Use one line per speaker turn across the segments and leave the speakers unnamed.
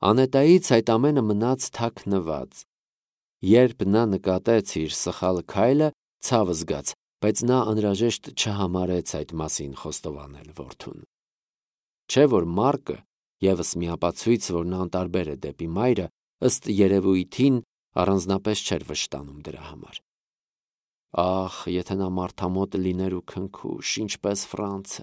Անետայից այդ ամենը մնաց թաքնված։ Երբ նա նկատեց իր սխալ քայլը, ցավ զգաց, բայց նա անհրաժեշտ չհամարեց այդ մասին խոստովանել որդուն։ Չէ՞ որ Մարկը, ևս մի ապացույց, որ նա անտարբեր է դեպի մայրը, ըստ երևույթին առանձնապես չէր վշտանում դրա համար։ Ախ, եթե նա մարդամոտ լիներ ու քնքուշ, ինչպես Ֆրանցը։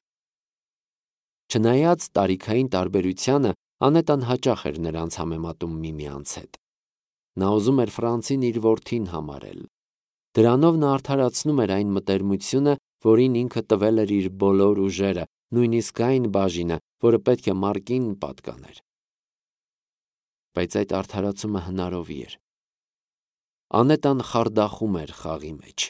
Չնայած տարիքային տարբերությանը, Անետան հաճախ էր նրանց համեմատում միմյանց հետ։ Նա ուզում էր Ֆրանցին իր որդին համարել։ Դրանով նա արդարացնում էր այն մտերմությունը, որին ինքը տվել էր իր բոլոր ուժերը, նույնիսկ այն բաժինը, որը պետք է Մարկին պատկաներ։ Բայց այդ արդարացումը հնարովի էր։ Անետան խարդախում էր խաղի մեջ։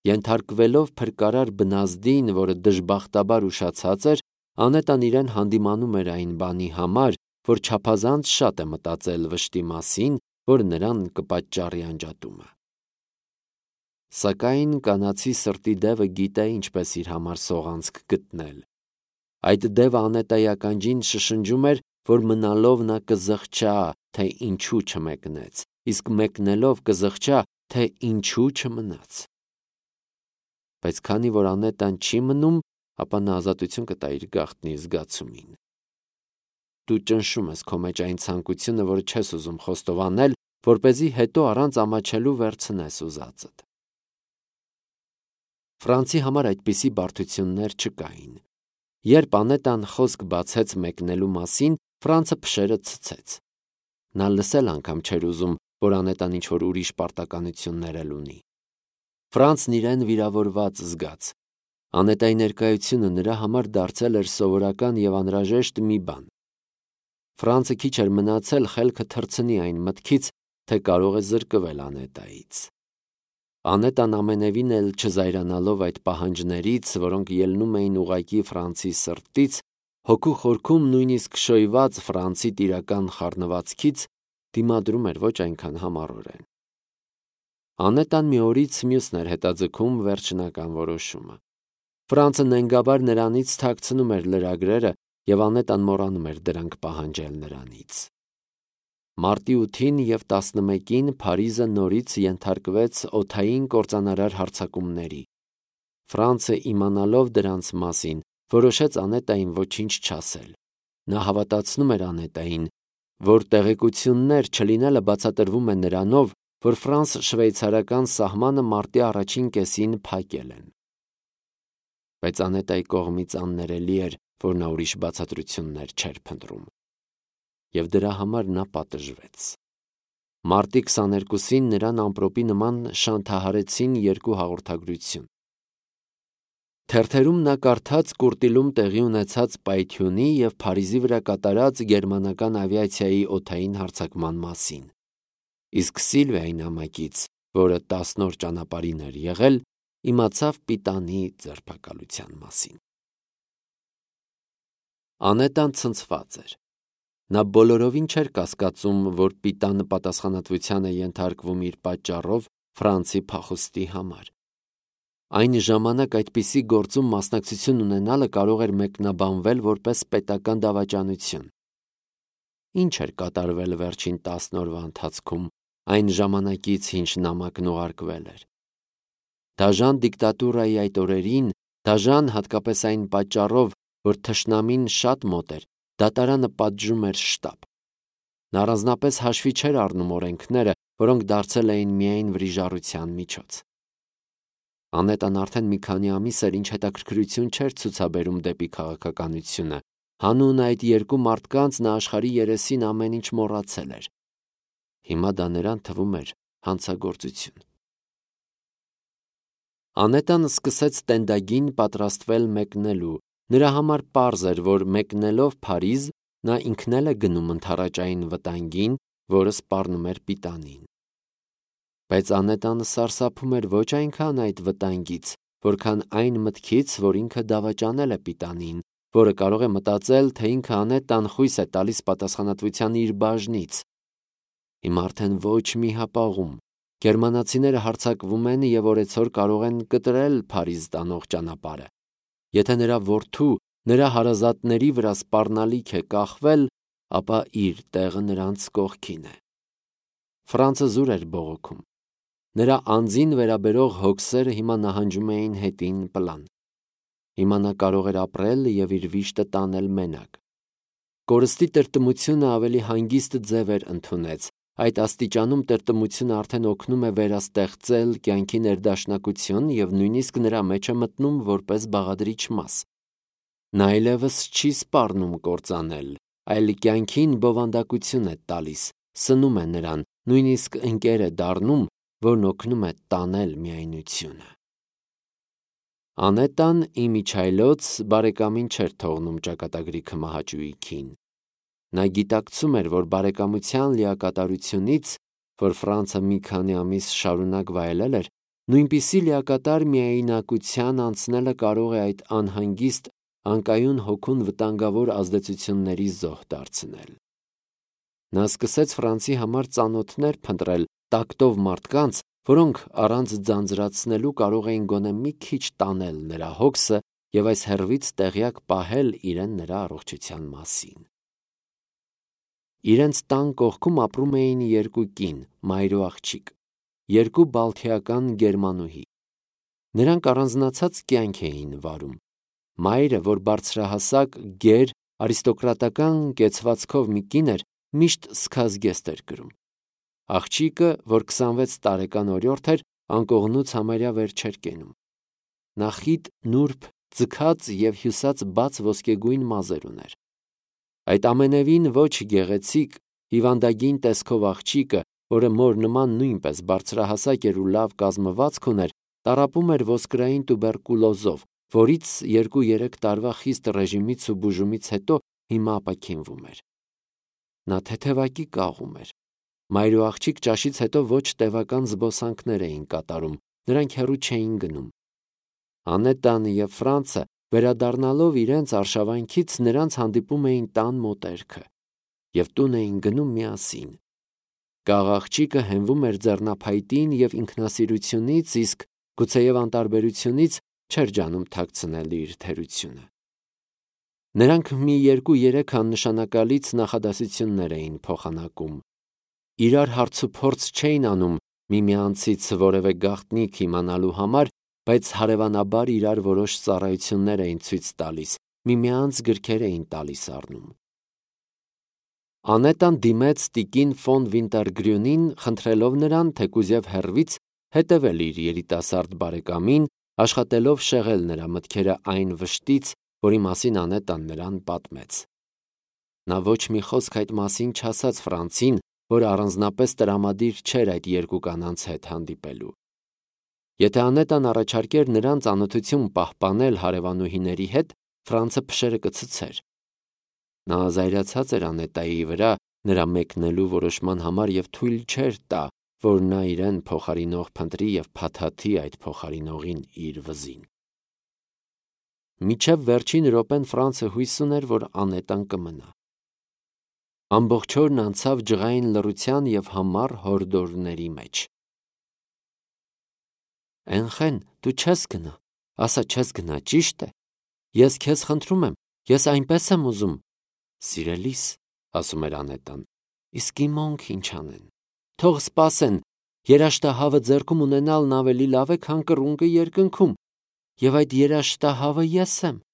Ենթարկվելով փրկարար բնազդին, որը դժբախտաբար ուշացած էր, Անետան իրեն հանդիմանում էր այն բանի համար, որ չափազանց շատ է մտածել վշտի մասին, որ նրան կպատճառի անջատումը։ Սակայն կանացի սրտի դևը գիտե ինչպես իր համար սողանցք գտնել։ Այդ դևը Անետայի ականջին շշնջում էր, որ մնալով նա կզղջա, թե ինչու չմեկնեց, իսկ մեկնելով կզղջա, թե ինչու չմնաց։ Բայց քանի որ Անետան չի մնում, ապա նա ազատություն կտա իր գաղտնի զգացումին։ Դու ճնշում ես քո մեջ այն ցանկությունը, որը չես ուզում խոստովանել, որպեսզի հետո առանց ամաչելու վերցնես ուզածդ։ Ֆրանցի համար այդպիսի բարդություններ չկային։ Երբ Անետան խոսք բացեց մեկնելու մասին, Ֆրանցը փշերը ցցեց։ Նա լսել անգամ չէր ուզում, որ Անետան ինչ-որ ուրիշ պարտականություններ էլ ունի։ Ֆրանցն իրեն վիրավորված զգաց։ Անետայի ներկայությունը նրա համար դարձել էր սովորական և անհրաժեշտ մի բան։ Ֆրանցը քիչ էր մնացել խելքը թռցնի այն մտքից, թե կարող է զրկվել Անետայից։ Անետան ամենևին էլ չզայրանալով այդ պահանջներից, որոնք ելնում էին ուղղակի Ֆրանցի սրտից, հոգու խորքում նույնիսկ շոյված Ֆրանցի տիրական խառնվածքից, դիմադրում էր ոչ այնքան համառորեն։ Անետան մի օրից մյուսն էր հետաձգում վերջնական որոշումը։ Ֆրանցը նենգաբար նրանից թաքցնում էր լրագրերը, և Անետան մոռանում էր դրանք պահանջել նրանից։ Մարտի 8-ին և 11-ին Փարիզը նորից ենթարկվեց օդային կործանարար հարձակումների։ Ֆրանցը իմանալով դրանց մասին, որոշեց Անետային ոչինչ չասել։ Նա հավատացնում էր Անետային, որ տեղեկություններ չլինելը բացատրվում է նրանով, որ ֆրանս-շվեյցարական սահմանը մարտի առաջին կեսին փակել են։ Բայց Անետայի կողմից աններելի էր, որ նա ուրիշ բացատրություններ չէր փնտրում։ Եվ դրա համար նա պատժվեց։ Մարտի 22-ին նրան ամպրոպի նման շանթահարեցին երկու հաղորդագրություն։ Թերթերում նա կարդաց Կուրտիլում տեղի ունեցած պայթյունի և Փարիզի վրա կատարած գերմանական ավիացիայի օդային հարձակման մասին, իսկ Սիլվիայի նամակից, որը 10 օր ճանապարհին էր եղել, իմացավ Պիտանի ձերբակալության մասին։ Անետան ցնցված էր։ Նա բոլորովին չէր կասկածում, որ Պիտանը պատասխանատվության է ենթարկվում իր պատճառով Ֆրանցի փախուստի համար։ Այն ժամանակ այդպիսի գործում մասնակցություն ունենալը կարող էր մեկնաբանվել որպես պետական դավաճանություն։ Ինչ էր կատարվել վերջին 10 օրվա ընթացքում, այն ժամանակից, ինչ նամակն ուղարկվել էր։ Դաժան դիկտատուրայի այդ օրերին, դաժան հատկապես այն պատճառով, որ թշնամին շատ մոտ էր, դատարանը պատժում էր շտապ։ Նա առանձնապես հաշվի չէր առնում օրենքները, որոնք դարձել էին միայն վրիժառության միջոց։ Անետան արդեն մի քանի ամիս էր, ինչ հետաքրքրություն չէր ցուցաբերում դեպի քաղաքականությունը։ Հանուն այդ երկու մարդկանց նա աշխարհի երեսին ամեն ինչ մոռացել էր։ Հիմա դա նրան թվում էր հանցագործություն։ Անետան սկսեց տենդագին պատրաստվել մեկնելու։ Նրա համար պարզ էր, որ մեկնելով Փարիզ, նա ինքն էլ է գնում ընդառաջային վտանգին, որը սպառնում էր Պիտանին։ Բայց Անետանը սարսափում էր ոչ այնքան այդ վտանգից, որքան այն մտքից, որ ինքը դավաճանել է Պիտանին, որը կարող է մտածել, թե ինքը Անետան խույս է տալիս պատասխանատվության իր բաժնից։ Հիմա արդեն ոչ մի հապաղում։ Գերմանացիները հարձակվում են և օրեցօր կարող են կտրել Փարիզ տանող ճանապարհը։ Եթե նրա որդու, նրա հարազատների վրա սպառնալիք է կախվել, ապա իր տեղը նրանց կողքին է։ Ֆրանցը զուր էր բողոքում։ Նրա անձին վերաբերող հոգսերը հիմա նահանջում էին հետին պլան։ Հիմա նա կարող էր ապրել և իր վիշտը տանել մենակ։ Կորստի տրտմությունը ավելի հանգիստ ձև էր ընդունեց։ Այդ աստիճանում տրտմությունը արդեն օգնում է վերաստեղծել կյանքի ներդաշնակություն և նույնիսկ նրա մեջ է մտնում որպես բաղադրիչ մաս։ Նա այլևս չի սպառնում կործանել, այլ կյանքին բովանդակություն է տալիս, սնում է նրան, նույնիսկ ընկեր է դառնում, որն օգնում է տանել միայնությունը։ Անետան իմիջայլոց բարեկամին չէր թողնում ճակատագրի քմահաճույքին։ Նա գիտակցում էր, որ բարեկամության լիակատարությունից, որ Ֆրանցը մի քանի ամիս շարունակ վայելել էր, նույնպիսի լիակատար միայնակության անցնելը կարող է այդ անհանգիստ, անկայուն հոգուն վտանգավոր ազդեցությունների զոհ դարձնել։ Նա սկսեց Ֆրանցի համար ծանոթներ փնտրել տակտով մարդկանց, որոնք առանց ձանձրացնելու կարող էին գոնե մի քիչ տանել նրա հոգսը և այս հեռվից տեղյակ պահել իրեն նրա առողջության մասին։ Իրենց տան կողքում ապրում էին երկու կին, մայր ու աղջիկ, երկու բալթիական գերմանուհի։ Նրանք առանձնացած կյանք էին վարում։ Մայրը, որ բարձրահասակ, գեր, արիստոկրատական կեցվածքով մի կին էր, միշտ սքազգեստ էր կրում։ Աղջիկը, որ 26 տարեկան օրիորդ էր, անկողնուց համարյա վեր չէր կենում։ Նա խիտ, նուրբ, ձգած և հյուսած բաց ոսկեգույն մազեր ուներ։ Այդ ամենևին ոչ գեղեցիկ, հիվանդագին տեսքով աղջիկը, որը մոր նման նույնպես բարձրահասակ էր ու լավ կազմվածք ուներ, տառապում էր ոսկրային տուբերկուլոզով, որից 2-3 տարվա խիստ ռեժիմից ու բուժումից հետո հիմա ապաքինվում էր։ Նա թեթևակի կաղում էր։ Մայր ու աղջիկ ճաշից հետո ոչ տևական զբոսանքներ էին կատարում, նրանք հեռու չէին գնում։ Անետան և Ֆրանցը, վերադառնալով իրենց արշավանքից, նրանց հանդիպում էին տան մոտերքը և տուն էին գնում միասին։ Կաղ աղջիկը հենվում էր ձեռնափայտին և ինքնասիրությունից, իսկ գուցեև անտարբերությունից չէր ջանում թաքցնել իր թերությունը։ Նրանք մի 2-3 աննշանակալից նախադասություններ էին փոխանակում։ Իրար հարցուփորձ չէին անում միմյանցից որևէ գաղտնիք իմանալու համար, բայց հարևանաբար իրար որոշ ծառայություններ էին ցույց տալիս, միմյանց գրքեր էին տալիս առնում։ Անետան դիմեց տիկին ֆոն Վինտերգրյունին, խնդրելով նրան, թեկուզև հեռվից, հետևել իր երիտասարդ բարեկամին, աշխատելով շեղել նրա մտքերը այն վշտից, որի մասին Անետան նրան պատմեց։ Նա ոչ մի խոսք այդ մասին չասաց Ֆրանցին, որ առանձնապես տրամադիր չէր այդ երկու կանանց հետ հանդիպելու։ Եթե Անետան առաջարկեր նրան ծանոթություն պահպանել հարևանուհիների հետ, Ֆրանցը փշերը կցցեր։ Նա զայրացած էր Անետայի վրա նրա մեկնելու որոշման համար և թույլ չէր տա, որ նա իրեն փոխարինող փնտրի և փաթաթի այդ փոխարինողին իր վզին։ Մինչև վերջին րոպեն Ֆրանցը հույս ուներ, որ Անետան կմնա։ Ամբողջ օրն անցավ ջղային լռության և համառ հորդորների մեջ։ Էնխեն, դու չես գնա, ասա չես գնա, ճիշտ է։ Ես քեզ խնդրում եմ, ես այնպես եմ ուզում։ Սիրելիս, ասում էր Անետան, իսկ իմանք ինչ անեն։ Թող սպասեն, երաշտահավը ձեռքում ունենալն ավելի լավ է, քան կռունկը երկնքում, և այդ երաշտահավը ես եմ։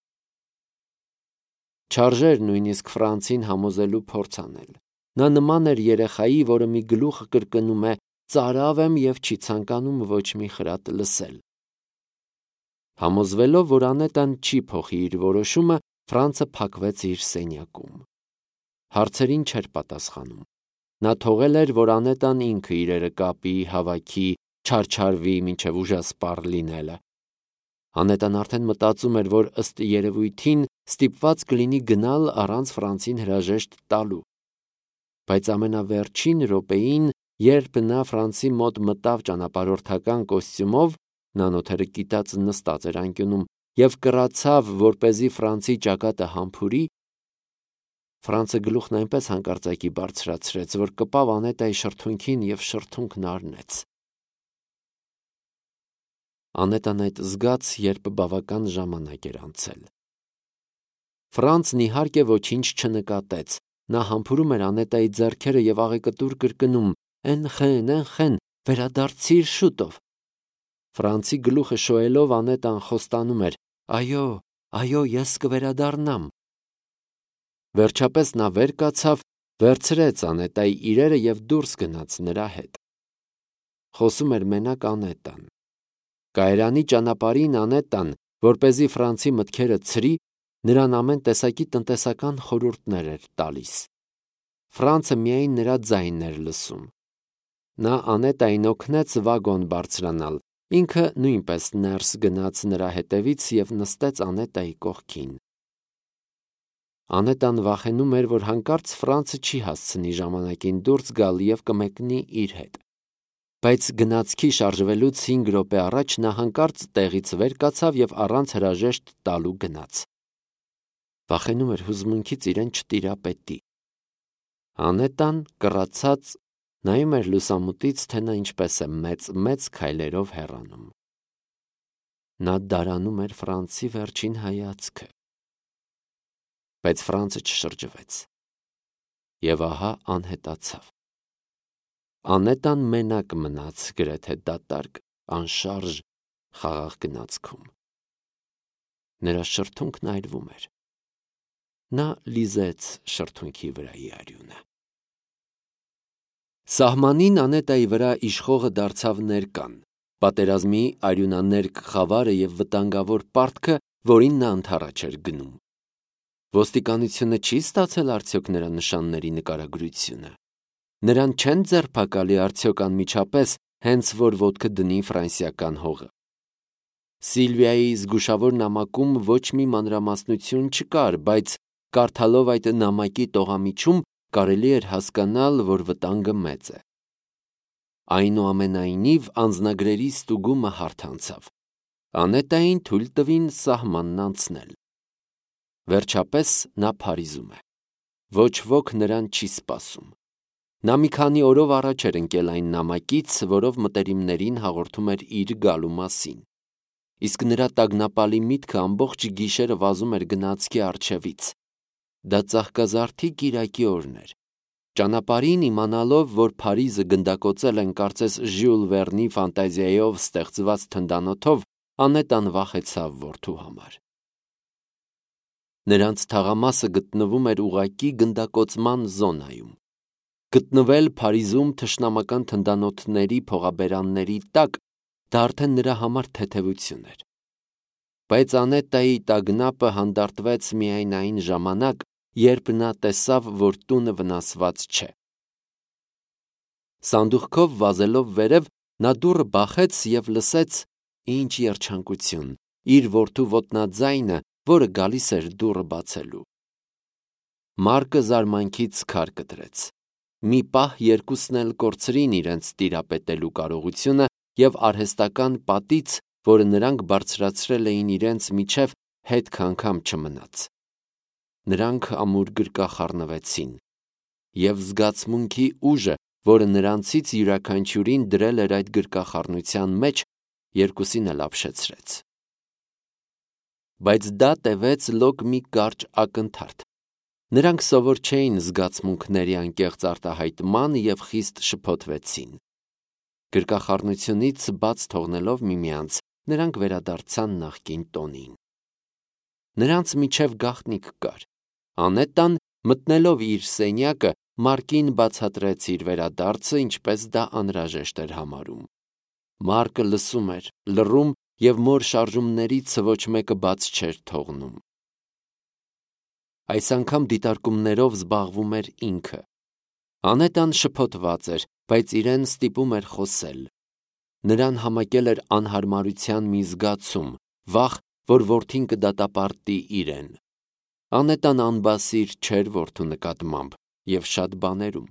Չարժեր նույնիսկ Ֆրանցին համոզելու փորձ անել։ Նա նման էր երեխայի, որը մի գլուխ կրկնում է. «Ծարավ եմ» և չի ցանկանում ոչ մի խրատ լսել։ Համոզվելով, որ Անետան չի փոխի իր որոշումը, Ֆրանցը փակվեց իր սենյակում։ Հարցերին չէր պատասխանում։ Նա թողել էր, որ Անետան ինքը իրերը կապի, հավաքի, չարչարվի, մինչև ուժասպառ լինելը։ Անետան արդեն մտածում էր, որ ըստ երևույթին ստիպված կլինի գնալ առանց Ֆրանցին հրաժեշտ տալու։ Բայց ամենավերջին րոպեին, երբ նա Ֆրանցի մոտ մտավ ճանապարհորդական կոստյումով, նա նոթերը կիտած նստած էր անկյունում և կռացավ, որպեսզի Ֆրանցի ճակատը համբուրի, Ֆրանցը գլուխն այնպես հանկարծակի բարձրացրեց, որ կպավ Անետայի շրթունքին և շրթունքն առնեց։ Անետան այդ զգաց, երբ բավական ժամանակ էր անցել։ Ֆրանցն իհարկե ոչինչ չնկատեց, Նա համբուրում էր Անետայի ձեռքերը և աղեկտուր կրկնում. «Էնխեն, վերադարձիր շուտով»։ Ֆրանցի գլուխը շոյելով Անետան խոստանում էր. «Այո, ես կվերադառնամ»։ Վերջապես նա վեր կացավ, վերցրեց Անետայի իրերը և դուրս գնաց նրա հետ։ Խոսում էր մենակ Անետան։ Կայարանի ճանապարհին Անետան, որպեսզի Ֆրանցի մտքերը ցրի, նրան ամեն տեսակի տնտեսական խորհուրդներ էր տալիս։ Ֆրանցը միայն նրա ձայնն էր լսում։ Նա Անետային օգնեց վագոն բարձրանալ, ինքը նույնպես ներս գնաց նրա հետևից և նստեց Անետայի կողքին։ Անետան վախենում էր, որ հանկարծ Ֆրանցը չի հասցնի ժամանակին դուրս գալ և կմեկնի իր հետ։ Բայց գնացքի շարժվելուց 5 րոպե առաջ նա հանկարծ տեղից վեր կացավ և առանց հրաժեշտ տալու գնաց։ Վախենում էր հուզմունքից իրեն չտիրապետի։ Անետան կռացած նայում էր լուսամուտից, թե նա ինչպես է մեծ քայլերով հեռանում։ Նա դարանում էր Ֆրանցի վերջին հայացքը։ Բայց Ֆրանցը չշրջվեց։ Եվ ահա անհետացավ։ Անետան մենակ մնաց գրեթե դատարկ, անշարժ խաղաղ գնացքում։ Նրա շրթունքն այրվում էր։ Նա լիզեց շրթունքի վրայի արյունը։ Սահմանին Անետայի վրա իշխողը դարձավ ներկան, պատերազմի արյունաներկ խավարը և վտանգավոր պարտքը, որին նա ընդառաջ էր գնում։ Ոստիկանությունը չի՞ ստացել արդյոք նրա նշանների նկարագրությունը։ Նրան չեն ձերբակալի արդյոք անմիջապես, հենց որ ոտքը դնի ֆրանսիական հողը։ Սիլվիայի զգուշավոր նամակում ոչ մի մանրամասնություն չկար, բայց կարդալով այդ նամակի տողամիջում կարելի էր հասկանալ, որ վտանգը մեծ է։ Այնուամենայնիվ անձնագրերի ստուգումը հարթ անցավ։ Անետային թույլ տվին սահմանն անցնել։ Վերջապես նա Փարիզում է։ Ոչ ոք նրան չի սպասում։ Նա մի քանի օրով առաջ էր ընկել այն նամակից, որով մտերիմներին հաղորդում էր իր գալու մասին։ Իսկ նրա տագնապալի միտքը ամբողջ գիշերը վազում էր գնացքի առջևից։ Դա ծաղկազարդի կիրակի օրն էր։ Ճանապարհին իմանալով, որ Փարիզը գնդակոծել են կարծես Ժյուլ Վերնի ֆանտազիայով ստեղծված թնդանոթով, Անետան վախեցավ որդու համար։ Նրանց թաղամասը գտնվում էր ուղղակի գնդակոծման զոնայում։ Գտնվել Փարիզում թշնամական թնդանոթների փողաբերանների տակ, դա արդեն նրա համար թեթևություն էր։ Բայց Անետայի տագնապը հանդարտվեց միայն այն ժամանակ, երբ նա տեսավ, որ տունը վնասված չէ։ Սանդուղքով վազելով վերև, նա դուռը բախեց և լսեց, ինչ երջանկություն, իր որդու ոտնաձայնը, որը գալիս էր դուռը բացելու։ Մարկը զարմանքից քար կտրեց։ Մի պահ երկուսն էլ կորցրին իրենց տիրապետելու կարողությունը և արհեստական պատից, որը նրանք բարձրացրել էին իրենց միջև, հետք անգամ չմնաց։ Նրանք ամուր գրկախառնվեցին, և զգացմունքի ուժը, որը նրանցից յուրաքանչյուրին դրել էր այդ գրկախառնության մեջ, երկուսին էլ ապշեցրեց։ Բայց դա տևեց լոկ մի կարճ ակնթարթ։ Նրանք սովոր չէին զգացմունքների անկեղծ արտահայտման և խիստ շփոթվեցին։ Գրկախառնությունից բաց թողնելով միմյանց, նրանք վերադարձան նախկին տոնին։ Նրանց միջև գաղտնիք կար։ Անետան, մտնելով իր սենյակը, Մարկին բացատրեց իր վերադարձը, ինչպես դա անհրաժեշտ էր համարում։ Մարկը լսում էր, լռում և մոր շարժումներից ոչ մեկը բաց չէր թողնում։ Այս անգամ դիտարկումներով զբաղվում էր ինքը։ Անետան շփոթված էր, բայց իրեն ստիպում էր խոսել։ Նրան համակել էր անհարմարության մի զգացում, վախ, որ որդին կդատապարտի իրեն։ Անետան անբասիր չէր որդու նկատմամբ և շատ բաներում։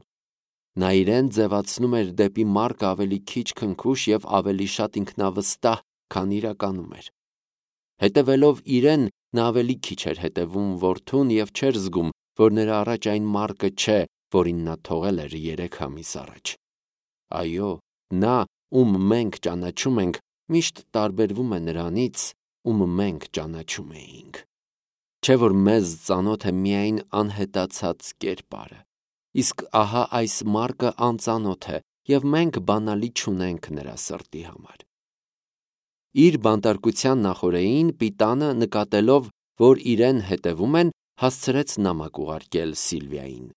Նա իրեն ձևացնում էր դեպի Մարկը ավելի քիչ քնքուշ և ավելի շատ ինքնավստահ, քան իրականում էր։ Հետևելով իրեն, նա ավելի քիչ էր հետևում որդուն և չէր զգում, որ նրա առաջ այն Մարկը չէ, որին նա թողել էր 3 ամիս առաջ։ Այո, նա, ում մենք ճանաչում ենք, միշտ տարբերվում է նրանից, ում մենք ճանաչում էինք։ Չէ որ մեզ ծանոթ է միայն անհետացած կերպարը, իսկ ահա այս Մարկը անծանոթ է, և մենք բանալի չունենք նրա սրտի համար։ Իր բանտարկության նախօրեին Պիտանը, նկատելով, որ իրեն հետևում են, հասցրեց նամակ ուղարկել Սիլվիային։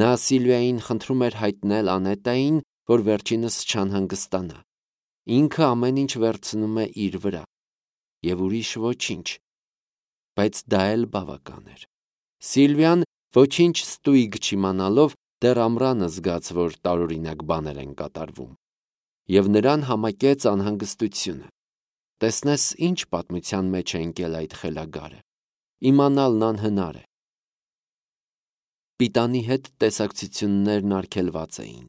Նա Սիլվիային խնդրում էր հայտնել Անետային, որ վերջինս չանհանգստանա։ Ինքը ամեն ինչ վերցնում է իր վրա, և ուրիշ ոչինչ, բայց դա էլ բավական էր։ Սիլվիան ոչինչ ստույգ չիմանալով դեռ ամռանը զգաց, որ տարօրինակ բաներ են կատարվում, և նրան համակեց անհանգստությունը։ Տեսնես ինչ պատմության մեջ է ընկել այդ խելագարը, իմանալն անհնար է։ Պիտանի հետ տեսակցություններն արգելված էին։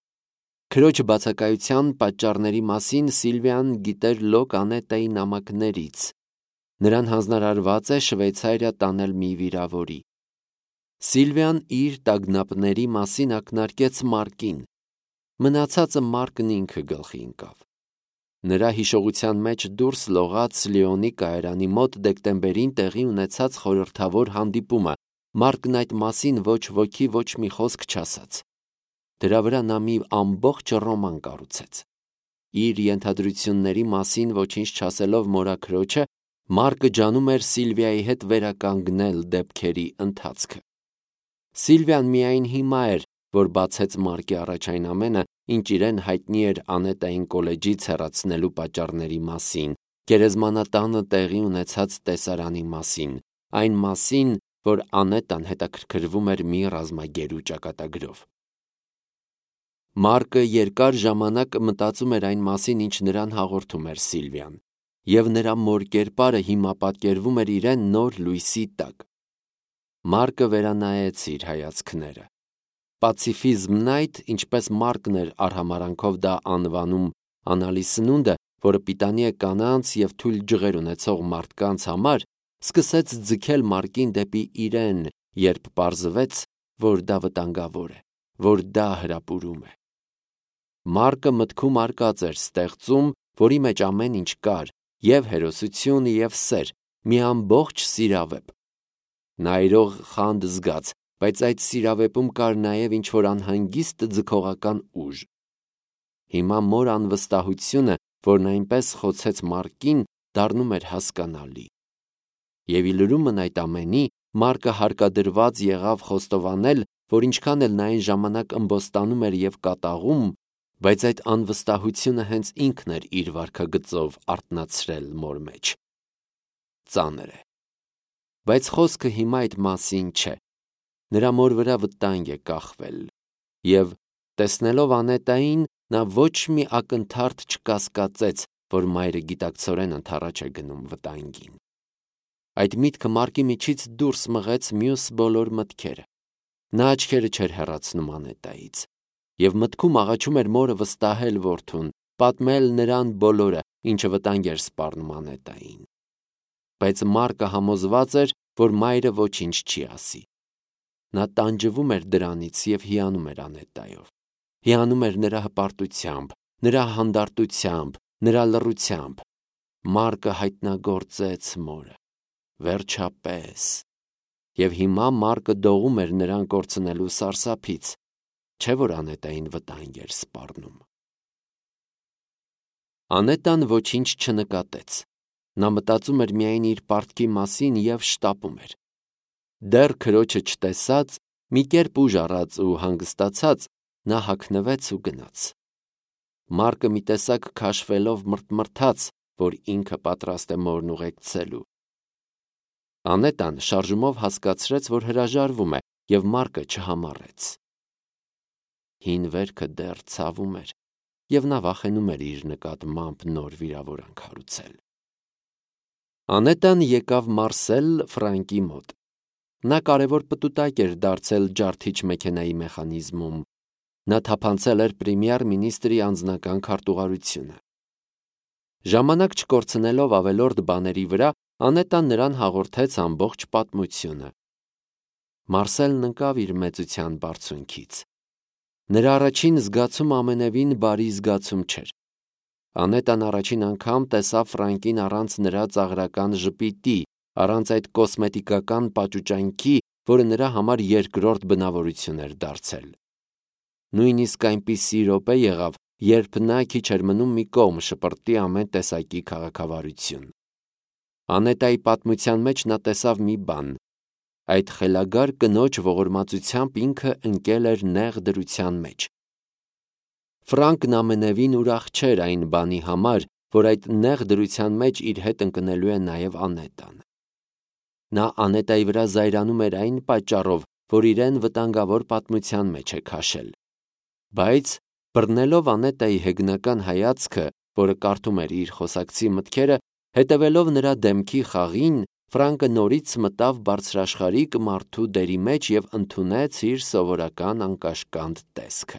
Քրոջ բացակայության պատճառների մասին Սիլվիան գիտեր լոկ Անետայի նամակներից։ Նրան հանձնարարված է Շվեյցարիա տանել մի վիրավորի։ Սիլվիան իր տագնապների մասին ակնարկեց Մարկին։ Մնացածը Մարկն ինքը գլխի ընկավ։ Նրա հիշողության մեջ դուրս լողաց Լիոնի կայարանի մոտ դեկտեմբերին տեղի ունեցած խորհրդավոր հանդիպումը։ Մարկն այդ մասին ոչ ոքի ոչ մի խոսք չասաց։ Դրա վրա նա մի ամբողջ ռոման կառուցեց։ Իր ենթադրությունների մասին ոչինչ չասելով մորաքրոջը, Մարկը ջանում էր Սիլվիայի հետ վերականգնել դեպքերի ընթացքը։ Սիլվիան միայն հիմա էր, որ բացեց Մարկի առաջ այն ամենը, ինչ իրեն հայտնի էր Անետային կոլեջից հեռացնելու պատճառների մասին, գերեզմանատանը տեղի ունեցած տեսարանի մասին, այն մասին, որ Անետան հետաքրքրվում էր մի ռազմագերու ճակատագրով։ Մարկը երկար ժամանակ մտածում էր այն մասին, ինչ նրան հաղորդում էր Սիլվիան, և նրա մոր կերպարը հիմա պատկերվում էր իրեն նոր լույսի տակ։ Մարկը վերանայեց իր հայացքները։ Պացիֆիզմն այդ, ինչպես Մարկն էր արհամարհանքով դա անվանում, անալի սնունդը, որը պիտանի է կանանց և թույլ ջղեր ունեցող մարդկանց համար, սկսեց ձգել Մարկին դեպի իրեն, երբ պարզվեց, որ դա վտանգավոր է, որ դա հրապուրում է։ Մարկը մտքում արկած էր ստեղծում, որի մեջ ամեն ինչ կար, և հերոսություն, և սեր, մի ամբողջ սիրավեպ։ Նա իրող խանդ զգաց, բայց այդ սիրավեպում կար նաև ինչ-որ անհանգիստ ձգողական ուժ։ Հիմա մոր անվստահությունը, որն այնպես խոցեց Մարկին, դառնում էր հասկանալի։ Եվ ի լրումն այդ ամենի, Մարկը հարկադրված եղավ խոստովանել, որ ինչքան էլ նա այն ժամանակ ըմբոստանում էր և կատաղում, բայց այդ անվստահությունը հենց ինքն էր իր վարքագծով արթնացրել մոր մեջ։ Ծանր է։ Բայց խոսքը հիմա այդ մասին չէ։ Նրա մոր վրա վտանգ է կախվել, և, տեսնելով Անետային, նա ոչ մի ակնթարթ չկասկածեց, որ մայրը գիտակցորեն ընդառաջ է գնում վտանգին։ Այդ միտքը Մարկի միջից դուրս մղեց մյուս բոլոր մտքերը։ Նա աչքերը չէր հեռացնում Անետայից, և մտքում աղաչում էր մորը վստահել որդուն, պատմել նրան բոլորը, ինչը վտանգ էր սպառնում Անետային։ Բայց Մարկը համոզված էր, որ մայրը ոչինչ չի ասի։ Նա տանջվում էր դրանից և հիանում էր Անետայով։ Հիանում էր նրա հպարտությամբ, նրա հանդարտությամբ, նրա լռությամբ։ Մարկը հայտնագործեց մորը։ Վերջապես։ Եվ հիմա Մարկը դողում էր նրան կորցնելու սարսափից, չէ՞ որ Անետային վտանգ էր սպառնում։ Անետան ոչինչ չնկատեց։ Նա մտածում էր միայն իր պարտքի մասին և շտապում էր։ Դեռ քրոջը չտեսած, մի կերպ ուժ առած ու հանգստացած, նա հագնվեց ու գնաց։ Մարկը մի տեսակ քաշվելով մռթմռթաց, որ ինքը պատրաստ է մորն ուղեկցելու։ Անետան շարժումով հասկացրեց, որ հրաժարվում է, և Մարկը չհամառեց։ Հին վերքը դեռ ցավում էր, և նա վախենում էր իր նկատմամբ նոր վիրավորանք հարուցել։ Անետան եկավ Մարսել Ֆրանկի մոտ։ Նա կարևոր պտուտակ էր դարձել ջարդիչ մեքենայի մեխանիզմում։ Նա թափանցել էր պրեմիեր մինիստրի անձնական քարտուղարությունը։ Ժամանակ չկորցնելով ավելորդ բաների վրա, Անետան նրան հաղորդեց ամբողջ պատմությունը։ Մարսելն ընկավ իր մեծության բարձունքից։ Նրա առաջին զգացումը ամենևին բարի զգացում չէր։ Անետան առաջին անգամ տեսավ Ֆրանկին առանց նրա ծաղրական ժպիտի, առանց այդ կոսմետիկական պաճուճանքի, որը նրա համար երկրորդ բնավորություն էր դարձել։ Նույնիսկ այնպիսի րոպե եղավ, երբ նա քիչ էր մնում մի կողմ շպրտի ամեն տեսակի քաղաքավարություն։ Անետայի պատմության մեջ նա տեսավ մի բան. այդ խելագար կնոջ ողորմածությամբ ինքը ընկել էր նեղ դրության մեջ։ Ֆրանկն ամենևին ուրախ չէր այն բանի համար, որ այդ նեղ դրության մեջ իր հետ ընկնելու է նաև Անետան։ Նա Անետայի վրա զայրանում էր այն պատճառով, որ իրեն վտանգավոր պատմության մեջ է քաշել։ Բայց բռնելով Անետայի հեգնական հայացքը, որը կարդում էր իր խոսակցի մտքերը, հետևելով նրա դեմքի խաղին, Ֆրանկը նորից մտավ բարձրաշխարհիկ մարդու դերի մեջ և ընդունեց իր սովորական անկաշկանդ տեսքը։